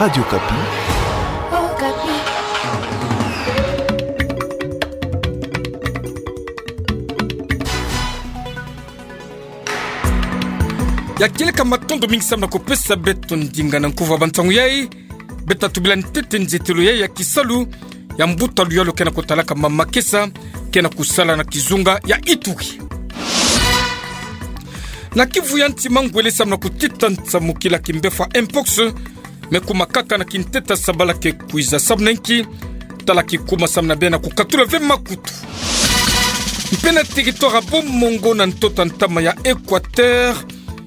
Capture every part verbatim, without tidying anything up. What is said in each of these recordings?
Radio Okapi. Okapi. Ya kieleka matondo mingi samu na kupesa beto ndinga na nkuva ba ntangu yai. Beto tubila ntete nzetelo yai ya kisalu ya mbuta luyalu ke na kutalaka mama makesa ke na kusala na kizunga ya Ituri. Na Kivu ya nti, mangwele samu na kutita nsamukila kimbefwa mpox me kuma kaka na kinteta sabala ke kwiza samu na nki tala kikuma samu na bena kukatula ve makutu. Mpe na territoire ya Bas-Congo na ntoto ntama ya Équateur,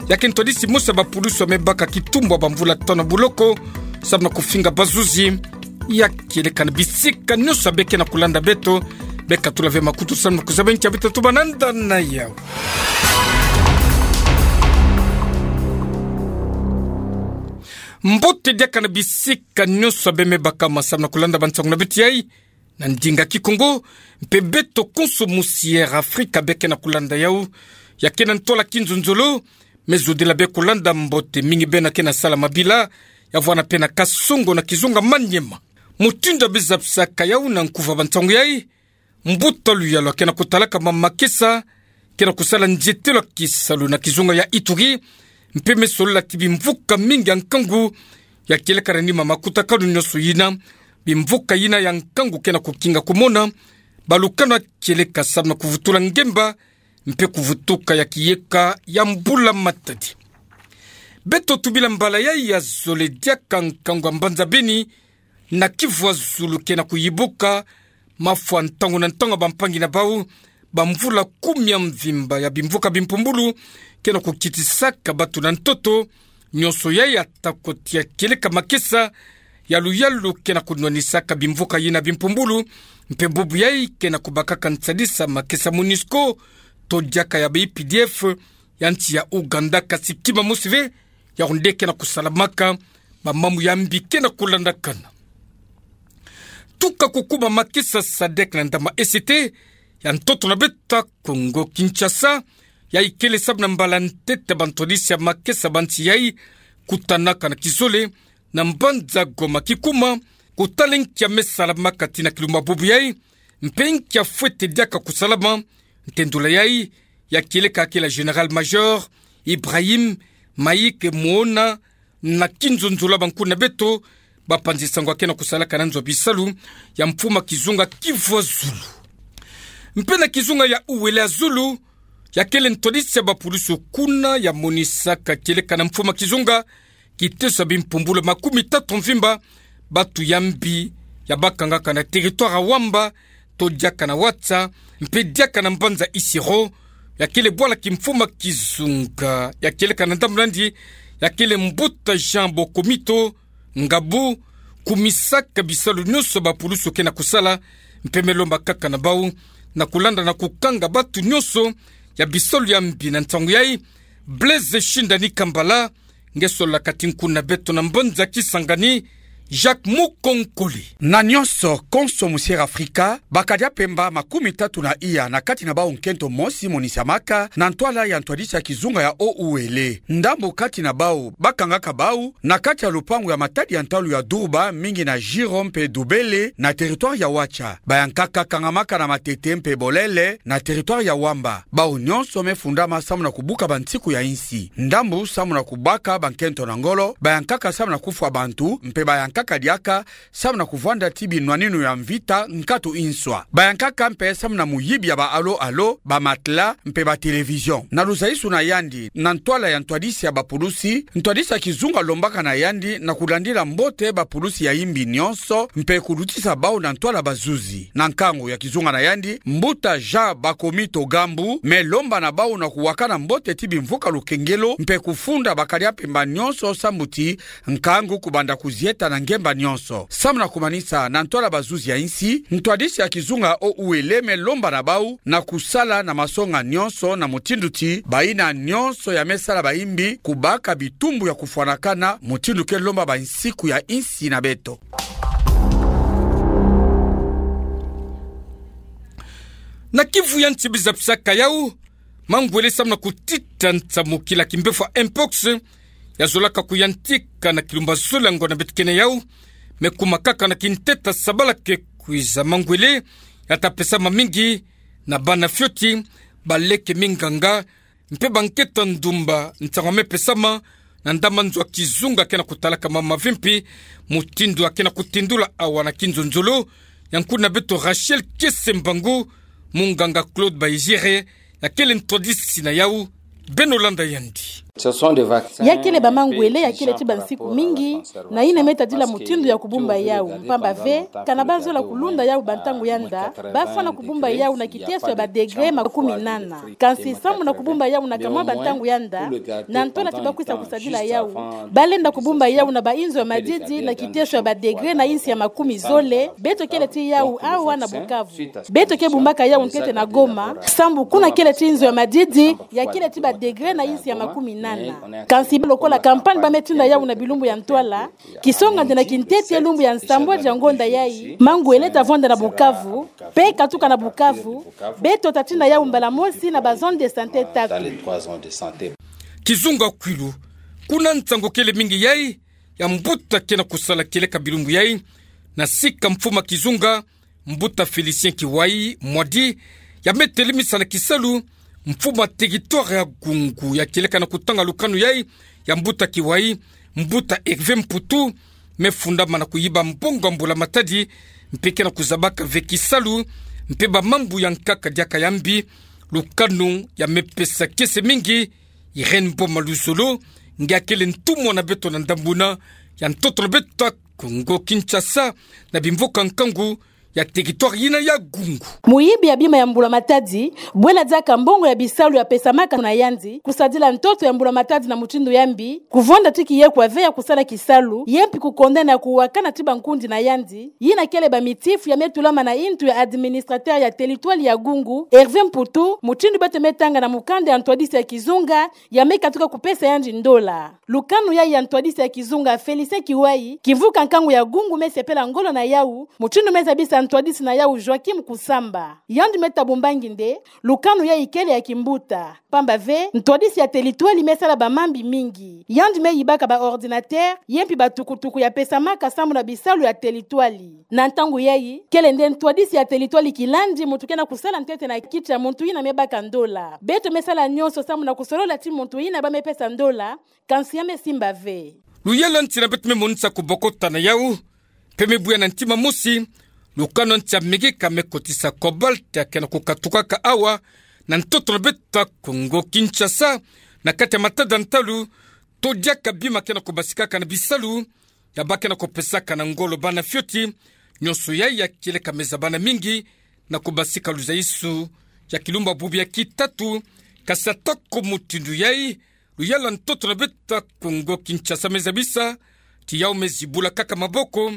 ya ke ntwadisi mosi ya bapulusu ya me baka kitumbu ya bamvula tanu ya boloko samu na kufinga bazuzi. Ya kieleka na bisika nyonso ya be ke na kulanda beto, be katula ve makutu samu na kuzaba nki ya beto tobana nda na yau. Mbote diaka na bisika nyonso ya be me bakama samu na kulanda ba nsangu na beto yai na ndinga Kikongo, mpe beto konso musi Air Afrika be ke na kulanda yau, ya ke na ntwala Kinzonzolo, me zodila be kulanda mbote mingi bena ke na sala mabila ya vwanda mpe na Kasongo na kizunga Maniema. Mutindu ya bizabisaka yau na nkuva ba nsangu yai, mbuta luyalu ke na kutalaka mama makesa ke na kusala nzetelo ya kisalu na kizunga ya Ituri, mpe me solola ti bimvuka mingi ya nkangu ya kieleka na nima makutakanu nyonso yina, bimvuka yina ya nkangu ke na kukinga kumona balukanu ya kieleka samu na kuvutula ngemba mpe kuvutuka ya kiyeka ya mbula matadi. Beto tubila mbala yai ya zole diaka nkangu ya mbanza Beni na Kivu ya zulu ke na kuyibuka, mafwa ntangu na ntangu ya bampangi na bau, bamvula kumi ya mvimba ya bimvuka bimpumbulu ke na kukitisaka batu na ntoto. Nyonso yai ata koti ya kieleka makesa ya luyalu ke na kunwanisaka bimvuka yina bimpumbulu, mpe bubu yai ke na kubakaka nsadisa makesa MONUSCO to diaka ya ba U P D F ya nsi ya Ouganda, kasi kima mosi ve, yau nde ke na kusalamaka, bamamu ya mbi ke na kulandakana. Tuka kukuma makesa SADC na ndama E C T ya ntoto na beto ya Kongo Kinshasa, yai kele samu na mbala ntete bantwadisi ya makesa ba nsi yai kutanaka na kizole na mbanza Goma kikuma, kutala nki ya me salamaka tii na kilumbu bubu yai, mpe nki ya fwete diaka kusalama. Ntendula yai, ya kieleka kele Général-Major Ibrahim Maïk Muona na Kinzonzolo, bankuna beto bapanzi sango ke na kusalaka na nzo ya bisalu ya mfuma kizunga Kivu ya zulu. Mpe na kizunga ya Uele ya zulu, ya kele ntwadisi ya bapulusu kuna ya monisaka kieleka na mfuma kizunga kiteso ya bimpumbulu makumi tatu mvimba, batu ya mbi ya bakangaka na territoire ya Wamba, to diaka na Watsa, mpe diaka na mbanza Isiro, ya kele bwala kimfuma kizunga, ya kieleka na ndambu na yandi, ya kele mbuta Jean Bokomito Ngabu, kumisaka bisalu nyonso bapulusu ke na kusala, mpe me lomba kaka na bau na kulanda na kukanga batu nyonso ya bisalu ya mbi na ntangu yai. Blaise Shindani Kambala, nge sololaka tii nkuna beto na mbanza Kisangani, Jacques Mukonkole. Na nyonso konso musi Air Afrika, bakadi ya mpemba makumi tatu na iya na kati na bau nkento mosi monisamaka na ntwala ya ntwadisi ya kizunga ya Uele. Ndambu kati na bau bakangaka bau na kati ya lupangu ya matadi ya ntalu ya Durba, mingi na Jiro mpe Dubele na territoire ya Watsa. Bayankaka kangamaka na Matete mpe Bolele na territoire ya Wamba. Bau nyonso me fundama samu na kubuka bansiku ya insi. Ndambu samu na kubaka bankento na ngolo, bayankaka samu na kufwa bantu, mpe bayankaka diaka samu na kuvwanda tii binwaninu ya mvita nkatu inswa. Bayankaka mpe samu na muyibi ya ba alo-alo, ba matelas, mpe ba télévision. Na luzaisu na yandi na ntwala ya ntwadisi ya bapulusi, ntwadisi ya kizunga lombaka na yandi na kulandila mbote bapulusi ya imbi nyonso, mpe kulutisa bau na ntwala bazuzi. Na nkangu ya kizunga na yandi, mbuta Jean Bakomito Gambu me lomba na bau na kuwakana mbote tii bimvuka lukengelo, mpe kufunda bakadi ya mpemba nyonso sambu tii nkangu kubanda kuzieta na ngemba nyonso. Samu na kumanisa, na ntwala bazuzi ya insi, ntwadisi ya kizunga ya Uele me lomba na bau na kusala na masonga nyonso na mutindu tii bayina nyonso ya me sala bayimbi kubaka bitumbu ya kufwanakana, mutindu ke lomba bansiku ya insi na beto. Na Kivu ya nti, bizapisaka yau, mangwele samu na kutita nsamukila kimbefwa mpox, ya zolaka kuyantika na kilumba zole ya ngonda beto kena yau, me kuma kaka na kintete sabalake kwiza mangwele, ya ta pesama mingi na bana fioti, baleke minganga, mpe bankento ndumba, ntangu ya me pesama na ndamana nzo ya kizunga kena kutalaka mama vimpi, mutindu ya kena kutindula awa na kinzonzolo, ya nkuna beto Rachel Kiese Mbangu, munganga Claude Bayizire, ya kele ntwadisi na yau, beno landa yandi. Ya kele ba mangwele ya kele ti bansiku mingi, na yina me tadila mutindu ya kubumba yau, mpamba ve, kana ba zola kulunda yau bantangu yanda, ba fwana kubumba yau na kiteso ya ba degré makumi nana. Kansi sambu na kubumba yau na kamwa bantangu yanda, na ntwala ti ba kwisa kusadila yau, ba lenda kubumba yau na ba inzo ya madidi na kiteso ya ba degré na insi ya makumi zole, beto kele ti yau awa na Bukavu. Beto ke bumbaka yau ntete na Goma, sambu kuna kele ti inzo ya madidi, ya kele ti ba degré na insi ya makumi nana. Kansi lokola campagne ba me tinda yau na bilumbu ya ntwala, kisonga nde na kintete lumbu ya nsambwadi ya ngonda yai, mangwele ta vonda na Bukavu, mpe katuka na Bukavu, beto ta tinda yau mbala mosi na ba zone de santé tatu. Kizunga kwilu, kuna nsangu kele mingi yai, ya mbuta kena kusala kieleka bilumbu yai, na sika mfumu a kizunga, mbuta Félicien Kiwai Mwadi, ya me telemisa na kisalu, mfumu a territoire ya Gungu, ya kieleka na kutanga lukanu yai, ya mbuta Kiwai, mbuta Hervé Mputu, me fundama na kuyiba mbongo ya mbula matadi, mpe kena kuzabaka ve kisalu, mpe ba mambu ya nkaka diaka ya mbi, lukanu ya me pesa kiese mingi, Irène Boma Luzolo, nge akele ntumwa na beto na ndambu yina ya ntoto na beto ya Kongo Kinshasa, na bimvuka nkangu ya territoire yina ya Gungu. Muyibi ya bima ya mbula matadi, bwela diaka mbongo ya bisalu ya pesamaka na yandi, kusadila ntoto ya mbula matadi na mutindu ya mbi, kuvonda ti kiyekwa ve ya kusala kisalu, ye mpi kukondana ya kuwakana ti bankundi na yandi, yina kele ba mitifu ya me tulama na ntu ya administrateur ya territoire ya Gungu, Hervé Mputu, mutindu beto me tanga na mukanda ya ntwadisi ya kizunga, ya me katuka kupesa yandi ndola. Lukanu yai ya ntwadisi ya kizunga Félicien Kiwai, kimvuka nkangu ya Gungu me sepela ngolo na yau, mutindu me zabisa ntwadisi na yau Joachim Kusamba. Yandi me tabumbangi nde, lukanu yai kele ya kimbuta. Mpamba ve, ntwadisi ya territoire me sala ba mambi mingi. Yandi me yibaka ba ordinateur, ye mpi ba tukutuku ya pesamaka sambu na bisalu ya territoire. Na ntangu yai, kele nde ntwadisi ya territoire kilandi muntu kena kusala ntete na kiti ya muntu yina me baka ndola. Beto me sala nyonso sambu na kusolola ti muntu yina ba me pesa ndola, kansi ya me simba ve. Luyala nti na beto me monisa kubokota na yau, mpe me buya na ntima mosi, lukanu nti ya mege ka me kotisa cobalt ya kena kukatukaka awa, na ntoto na beto ya Kongo Kinshasa, na kati ya matada ntalu, to diaka bima kena kubasikaka na bisalu, ya ba kena kupesaka na ngolo bana fioti, nyonso yai ya kieleka me zabana mingi, na kubasika luzaisu ya kilumbu bubu ya kitatu, kasi atako mutindu yai, luyala ntoto na beto ya Kongo Kinshasa me zabisa, ti yau me zibula kaka maboko,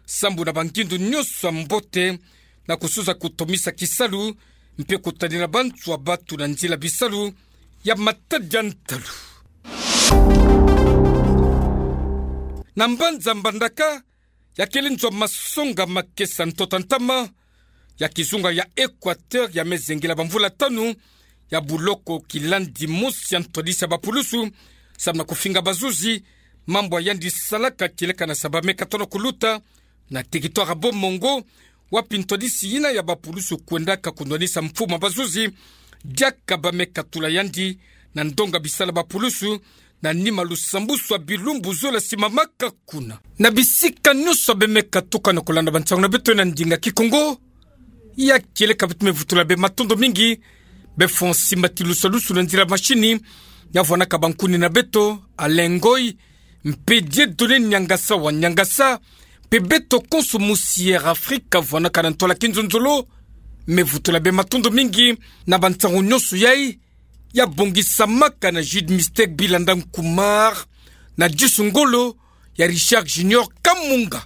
sambu na bangindu nyonso ya mbote, na kusuza kutomisa kisalu, mpe kutadila bantu ya batu na nzila bisalu, ya matada ntalu. Na mbanza Mbandaka, ya kele nzo ya masonga makesa ntoto ntama, ya kizunga ya Équateur ya me zengela bamvula tanu, ya buloko kilandi mosi ya ntwadisi ya bapulusu, sambu na kufinga bazuzi, mambu ya yandi salaka kieleka na saba me katona kuluta, na territoire ya Bomongo, wapi ntwadisi yina ya bapulusu kwendaka kunwanisa mfumu a bazuzi, diaka ba me katula yandi, na ndonga bisala bapulusu, na nima lusambusu ya bilumbu zola simamaka kuna. Na bisika nyonso be me katuka na kulanda bansangu na beto na ndinga Kikongo, ya kieleka beto me vutula be matondo mingi, be fundi matilusalusu na nzila mashini, ya vwanaka bankuni na beto, Alain Ngoy, mpe Dieudonné Niangasa wa Niangasa, mpe beto konso musi Air Afrique vwanaka na ntwala kinzonzolo, me vutula be matondo mingi, na bansangu nyonso yai, ya bongisamaka na Jude Mystère Bilanda Nkumar, na disu ngolo ya Richard Junior Kamunga.